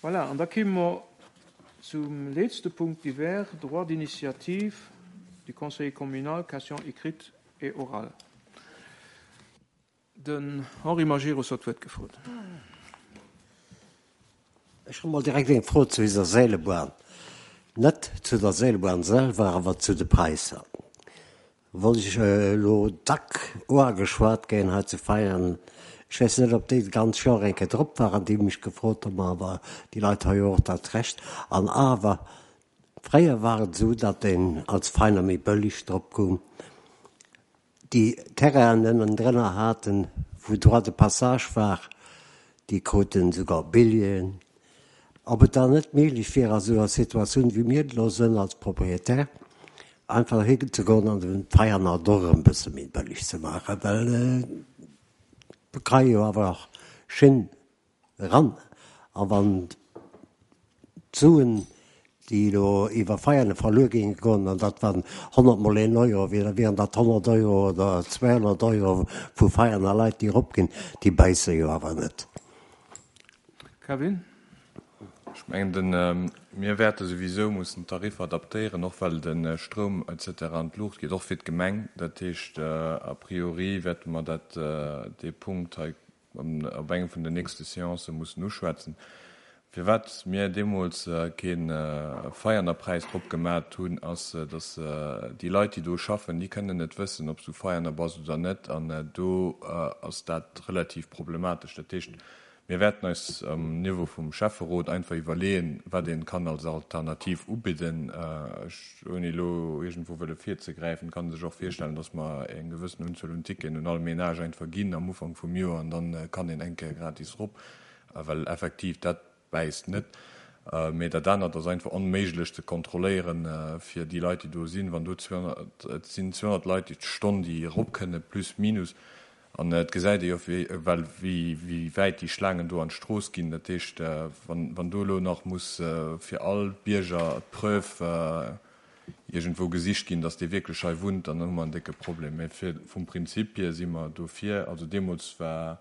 Voilà, an da kéime mer zum letzte Punkt divers, Droit d'initiative du Conseiller communal, questions écrites et orales. Den Henri Majerus huet d'Wuert gefrot. Ech hu mol direkt eng Fro zu iser Seelebahn. Net zu der Seelebahn selwer, awer zu de Präisser. Wou ech elo dack uageschwat ginn hei zu Veianen. Ech weess net, ob déi d'ganz Joer eng Kéier drop waren, déi mech gefrot hunn, ma awer déi Leit hu jo och dat Recht. An awer, fréier war et esou, datt een als Veiner méi bëlleg drop koum. Déi Terrainen ënnendrënner haten, wou Droit de passage war, déi kruten esouguer Billjeeën. Ob et dann net méiglech wier, a sou enger Situatioun, wéi mir et elo sënn als Propriétaire, einfach hinzegoen an den Veianer et och erëm e bësse méi bëlleg ze maachen, well do ka jo awer och Schinn Eran. A wann d'Suen, déi elo iwwer Veianen verluer géinge goen, an dat waren 100 mol een Euro, da wieren dat 100 Euro oder 200 Euro vu Veianer Leit, déi eropginn, déi bäisse jo awer net. Kevin? Ech mengen, de mir wäerte souwisou mussen d'Tariffer adaptéieren, och well de Stroum et cetera an d'Luucht geet, och fir d'Gemeng. Dat heescht, a priori wäerte mer dat, dee Punkt hei op engem vun den nächste Seancë mussen uschwätzen, firwat mir deemools kee Veianerpräis drop gemat hunn, ass, datt déi Leit, déi do schaffen, déi kënnen net wëssen, ob s du Veianer bass oder net. An do ass dat relativ problematesch. Dat heescht, mir wäerten eis um Niveau vum Schäfferot einfach iwwerleeën, wat ee kann als Alternativ ubidden. Ech, ouni elo iergendwou wëlle virzegräifen, kann sech och virstellen, dass mer eng gewëssen Unzuel un Ticketen un all Ménage einfach ginn am Ufank vum Joer an dann kann een eng Kéier gratis erop, well effektiv dat bäisst net. Mee dat anert ass einfach onméiglech ze kontrolléieren fir déi Leit, déi do sinn. Wann do 200, et sinn 200 Leit déi d'Stonn déi erop kënne plus minus, An et gesäit ee jo well wéi wäit déi Schlaangen do an d'Strooss ginn. Dat heescht, wann do elo nach muss fir all Bierger d'Preuve iergendwou gesicht ginn, datt dee wierklech hei wunnt, dann hu mer en décke Problem. Mä vum Prinzip hier si mer dofir. Also deemools war,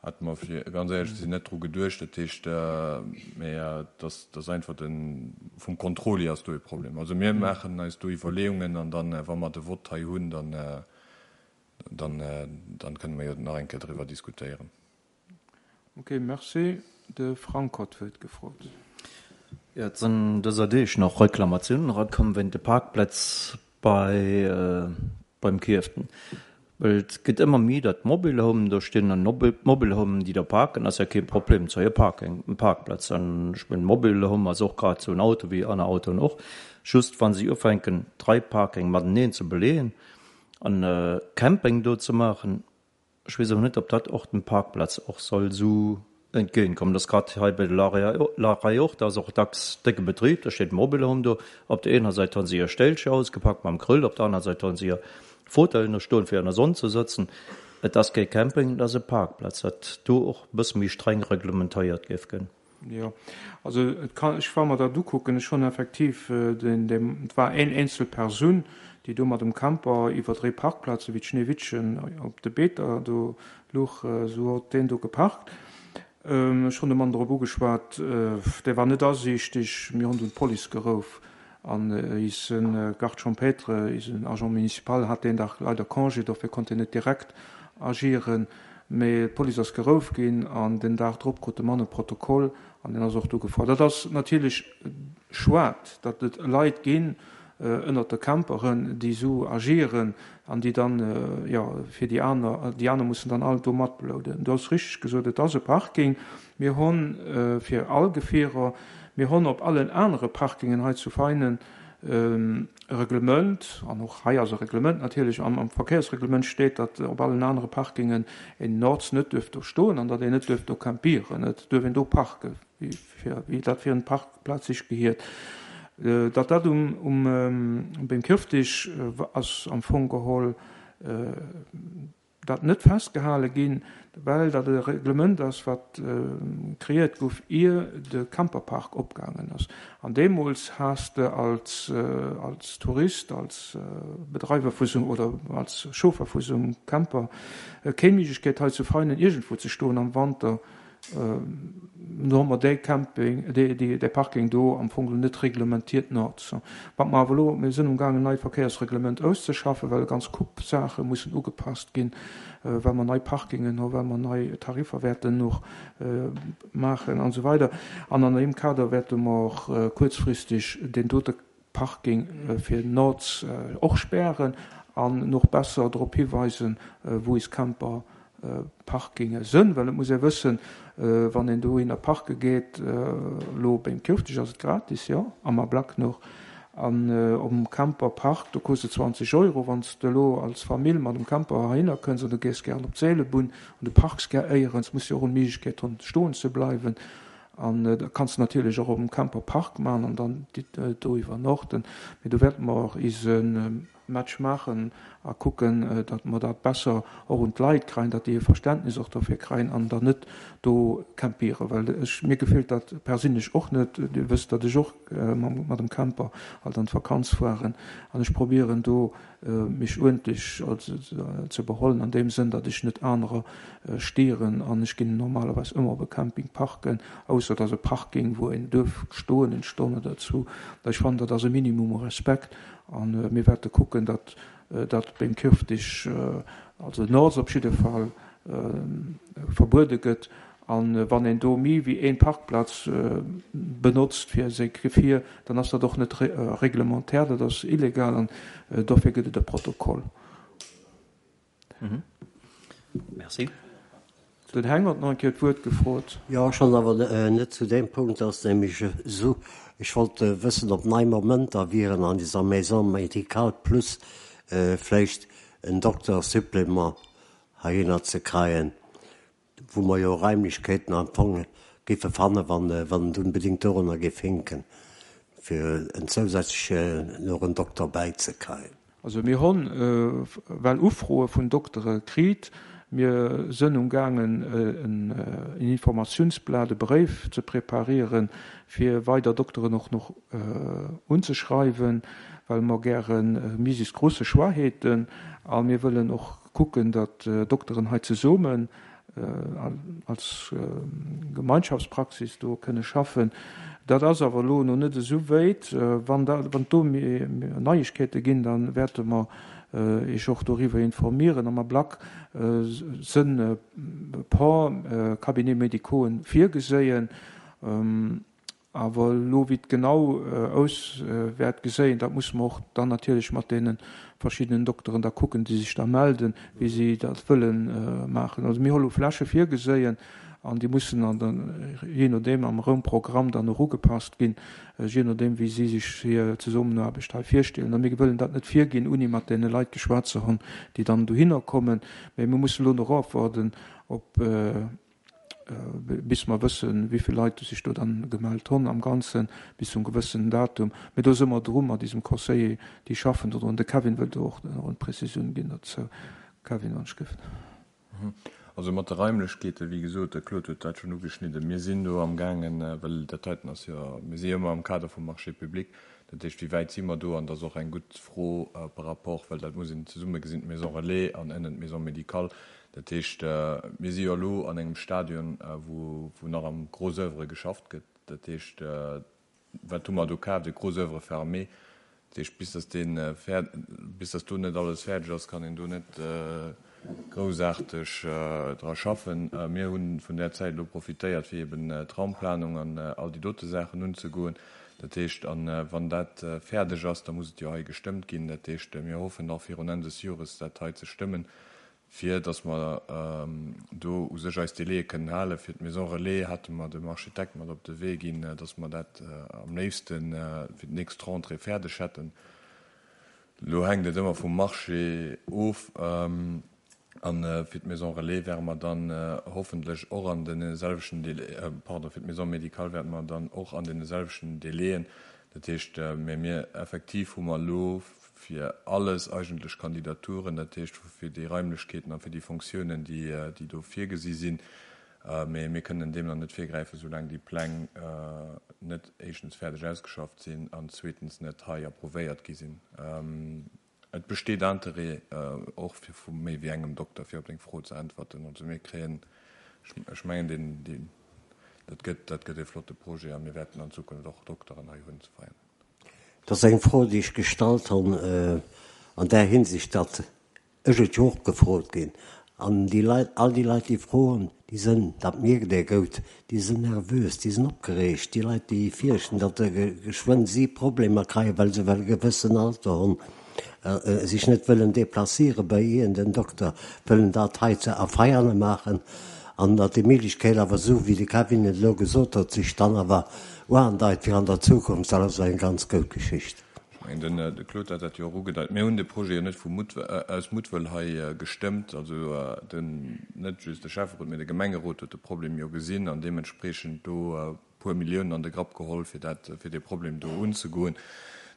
hate mer fir ganz éierlech ze sinn net dru geduecht. Dat heescht, mä et ass einfach de vum Contrôle hier ass do e Problem. Also mir maachen eis do Iwwerleeungen an dann, wa mer de Vott hei hunn, dann Dann, dann kënne mer jo nach eng Kéier driwwer diskutéieren. Ok, merci. De Frank huet d'Wuert gefrot. Jo, et sinn dëser Deeg nach Reklamatiounen erakomm wéint de Parkplätz bei beim Kierften. Well et gëtt ëmmer méi, datt Mobilhomen do stinn an d'Mobilhomen, déi do parken, ass jo kee Problem, et ass jo e Parking, e Parkplatz. An ech mengen, Mobilhome ass och grad esou en Auto wéi aner Autoen och. Just wa si ufänken, drai Parking mateneen ze beleeën, An e Camping do ze maachen, ech weess awer net, ob dat och dem Parkplatz och soll esou entgéint kommen. Dat ass grad hei bei de Larei och, da ass och dacks décke Betrib, da steet Mobilhome do. Op der eener Säit hu se hir Stéilcher ausgepackt mam Grill, op der aner Säit hu se hir Fauteuilen do stoen, fir an der Sonn ze sëtzen. Et ass kee Camping, et ass e Parkplatz, dat do och e bësse méi streng reglementéiert géif ginn. Jo, also et kann, ech wa mer dat ukucken, ech hunn effektiv den, deen, et war een eenzel Persoun, déi do mat dem Camper iwwer dréi Parkplaze wéi d'Schneewittchen op de Beeter do luch, esou huet deen do geparkt. Ech hunn de Mann drop ugeschwat, dee war net asiichteg, mir hunn dunn d'Police gerouf an ise Garde champêtre, isen Agent municipal hat deen Dag leider Congé, dofir konnt hien net direkt agieren. Mee d'Police ass gerouf ginn an den Dag drop krut de Mann e Protokoll an deen ass och du gefuer. Dat ass natierlech schued, datt et Leit ginn ënnert de Camperen, déi esou agieren an déi dann, jo, fir déi aner, déi aner mussen dann all do matblouden. Du hues richteg gesot, et ass e Parking. Mir hunn fir all Gefierer, mir hunn op allen anere Parkingen hei zu Veinen e Reglement, an och hei ass e Reglement natierlech, an am Verkéiersreglement steet, datt op allen anere Parkingen een Nords net duerf do stoen an datt een net duerf do campieren. Et duerf een do parken, wéi dat fir en Parkplaz sech gehiert. Datt dat um beim Kierftig ass am Fong geholl, dat net festgehale ginn, well dat e Reglement ass, wat kreéiert gouf, ier de Camperpark opgaangen ass. An deemools has de als als Tourist, als Bedreiwer vu sou oder als Chauffer vu sou engem Camper keng Méiglechkeet hei zu Veinen iergendwou ze stoen am Wanter. Do hu mer dee Camping, dee Parking do am Fong net reglementiert nords. Wat mer awer elo, mir sinn umgaangen en neit Verkéiersreglement auszeschaffen, well e ganz Coupe Saache mussen ugepasst ginn, well mer nei Parkingen hu, well mer nei Tariffer wäerten och maachen an esou weider. An an deem Kader wäerte mer och kuerzfristeg deen dote Parking fir Nords och spären an och besser drop hiweisen, wou is Camper Parkinge sënn, well et muss ee wëssen, wann een dohinner parke geet, elo beim Kirchdech ass et gratis, jo, am Ablack nach, an um Camper Park, do kost et 20 Euro. Wann s de elo als Famill mat dem Camper heihinner kënns an du gees gären op d'Seelebunn an du parks gär éierens, muss jo och d'Méiglechkeet hunn, stoen ze bleiwen. An da kanns de natierlech och op dem Camper Park man an dann do iwwernochten. Mee do wäerte mer och ise Match maachen a kucken, datt mer dat besser och un d'Leit kreien, datt déi e Verständnis och dofir kreien an dann net do campieren. Well ech, mir gefält dat perséinlech och net. Dir wësst, datt ech och mat dem Camper alt an d'Vakanz fueren an ech probieren do mech uerdentlech ze behollen an deem Sënn, datt ech net anerer stieren an ech ginn normalerweis ëmmer op e Camping parken, ausser et ass e Parking wou een duerf stoen eng Stonn oder zwou. Ech fannen dat ass e Minimum u Respekt an mir wäerte kucken, datt dat beim Kirftig, also Nords op jidde Fall, verbuede gëtt. An wann een do méi wéi een Parkplatz benotzt fir säi Gefier, dann ass dat och net réglementaire, dat ass illegal an dofir gëtt et e Protokoll. Merci. Den Heng huet nach eng Kéier d'Wuert gefrot. Jo, schonn, awer net zu deem Punkt. Ass nämlech esou, ech wollt wëssen, ob nei Momenter wieren an dieser Maison médicale plus vläicht en Dokter-Supplément heihinner ze kreien. wou mer jo Raimlechkeeten am Fong géife fannen, wann et unbedéngt dorunner géif hinken, fir en zousätzlechen nach en Dokter bäizekreien. Also mir honn well Ufroe vun Doktere kriit. Mir sënn umgaangen en Informatiounsblat, e Bréif ze preparieren, fir weider Dokteren och noch unzeschreiwen, well mer gäre misis grosse Choix häten a mir wëllen och kucken, datt Dokteren hei zesummen als Gemeinschaftspraxis do kënne schaffen. Dat ass awer elo no net esou wéit. Wann et do Neiegkeete ginn, da wäerte mer Iech och doriwwer informieren. Am Ablack sënn e por Cabinets médicauxen virgeséien. Awer elo, wéi et genau aus wäert geséien, dat musse mer och dann natierlech mat deene verschiddenen Dokteren da kucken, déi sech da melden, wéi si dat wëlle maachen. Also mir hu lo Fläche virgeséien an déi mussen dann jee nodeem am Raumprogramm dann och ugepasst ginn, jee nodeem wéi si sech hir Zesummenaarbecht hei virstellen. A mir wëllen dat net virginn, ouni mat deene Leit geschwat ze hunn, déi dann dohinner kommen. Mä mir musse lo nach ofwaarden, ob bis mer wëssen, wéi vill Leit sech do dann gemellt hunn am Ganzen, bis zum gewëssenen Datum. Mee do si mer dru mat isem Conseiller, déi schaffen do drun. De Kevin wëllt do och nach eng Prezisioun ginn dozou. Kevin, wann ech gëff. Also mat de Raimlechkeeten, wéi gesot, de Claude huet dat schonn ugeschnidden, mir sinn do amgaangen, well dat heiten ass jo, mir si jo ëmmer am Kader vum Marché public, dat heescht, wéi wäit si mer do? An dat ass och eng gutt Fro par rapport, well dat muss een zesumme gesinn, d'Maison relais an ënnen d'Maison médicale, Dat heescht, mir si jo elo an engem Stadion, wou nach am Gros oeuvre geschafft gëtt. Dat heescht, wat hu mer do kaaft? E Gros oeuvre fermé. Dat heescht, bis datt dee bis datt do net alles fäerdeg ass, kann een do net groussaarteg dra schaffen. Mir hu vun där Zäit elo profitéiert, fir eben d'Raumplanung an all déi dote Saachen unzegoen. Dat heescht, a wann dat fäerdeg ass, da muss et jo hei gestëmmt ginn. Dat heescht, mir hoffen nach virun Enn des Jores dat hei ze stëmmen, fir datt mer do u sech eis Délaië kënnen halen. Fir d'Maison relais hate mer dem Architekt mat op de Wee ginn, datt mer dat am léifste fir d'nächst Rentrée fäerdeg hätten. Elo hänkt et ëmmer vum Marché of. A fir d'Maison relais wäre mer dann hoffentlech och an deene selwechten Délai, pardon, fir d'Maison médicale wäerte mer dann och an deene selwechten Délaien, dat heescht, mä mir effektiv hu mer elo fir alles eigentlech Kandidaturen, dat heescht fir déi Raimlechkeeten a fir déi Fonctiounen, déi do virgesi sinn. Mee mir kënnen deem nach net virgräifen, soulaang déi Pläng net éischtens fäerdeg ausgeschafft sinn an zweetens net hei approuvéiert gi sinn. Et besteet Interêt och fir vu méi wéi engem Dokter, fir op deng Fro ze äntwerten. Also mir kréien. Ech mengen, deen, deen, dat gëtt, dat gëtt e flotte Projet a mir wäerten an Zukunft och Dokteren hei hunn zu Veianen. Dat ass eng Fro, déi ech gestallt hunn an där Hinsicht, datt ech et jo och gefrot ginn. An déi Leit, all déi Leit, déi froen, déi sënn, dat mierkt ee goud, déi sënn nervös, déi sënn opgereegt, déi Leit, déi fierchten, datt geschwënn si Problemer kreien, well se well e gewëssen Alter hunn, sech net wëllen déplaciere bei iergend en Dokter, wëllen dat hei ze a Veiane maachen an datt déi Méiglechkeet awer, esou wéi de Kevin et elo gesot huet, sech dann awer uandeit fir an der Zukunft, dat ass eng ganz goud Geschicht. Ech mengen, den de Claude hat dat jo och ugedeit. Mir hunn de Projet jo net vu Mutt, aus Muttwëll hei gestëmmt. Also den, net just de Schäfferot, mee de Gemengerot huet de Problem jo gesinn an deementspreechend do e puer Milliounen an de Grapp geholl, fir dat, fir dee Problem do unzegoen.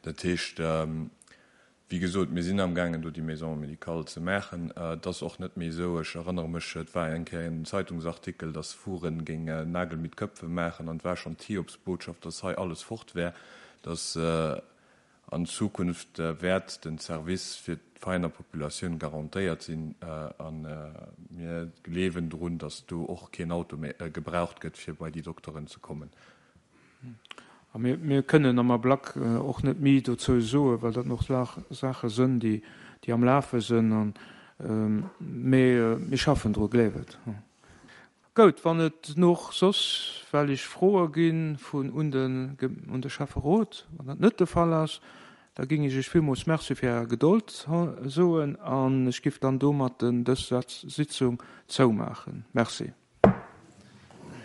Dat heescht, wéi gesot, mir sinn amgaangen, do déi Maison médicale ze maachen. Et ass och net méi esou, ech erënnere mech, et war eng Kéier en Zeitungsartikel, dass Furen géing Nagel mit Köpfen maachen an et war schonn d'Hiobsbotschaft, dass hei alles fort wär. Dass an Zukunft wäert den Service fir d'Veiener Populatioun garantéiert sinn a mir gleewen drun, dass do och keen Auto méi gebraucht gëtt, fir bei déi Dokteren ze kommen. A mir, mir kënnen am Ablack och net méi dozou soen, well dat nach Saache sënn, déi, déi am Lafe sënn. An, mee mir schaffen dru, gleef et. Goud, wann et noch soss wellig Froe gi vun un de un de Schäfferot, wann dat net de Fall ass, da géing ech Iech villmools Merci fir Är Gedold soen an ech giff dann domatten dës Sitzung zoumaachen. Merci.